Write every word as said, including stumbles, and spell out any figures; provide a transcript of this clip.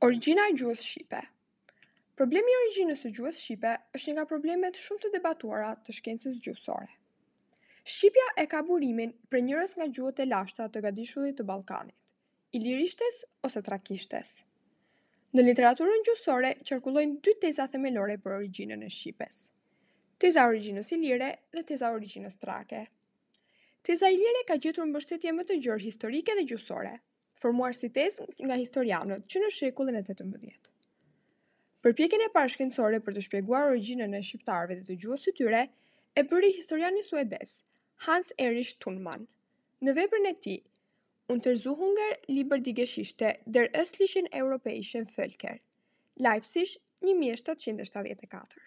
Origjina e gjuhës shqipe. Problemi i origjinës së gjuhës shqipe është një nga problemet shumë të debatuara të shkencës gjuhësore. Shqipja e ka burimin prej njërës nga gjuhët e lashta të gadishullit të Ballkanit, ilirishtes ose trakishtes. Në literaturën gjuhësore qarkullojnë dy teza themelore për origjinën e shqipes: teza e origjinës ilire dhe teza e origjinës trake. Teza ilire ka gjetur mbështetje më të gjerë historike dhe gjuhësore, formuar si tezë nga historianët që në shekullin e tetëmbëdhjetë. Përpjekjen e parë shkencore për të shpjeguar origjinën e shqiptarëve dhe të gjuhës së tyre e bëri historiani suedez Hans Erich Thunmann në veprën e tij Untersuchungen über die Geschichte der östlichen europäischen Völker, Leipzig një mijë e shtatëqind e shtatëdhjetë e katër.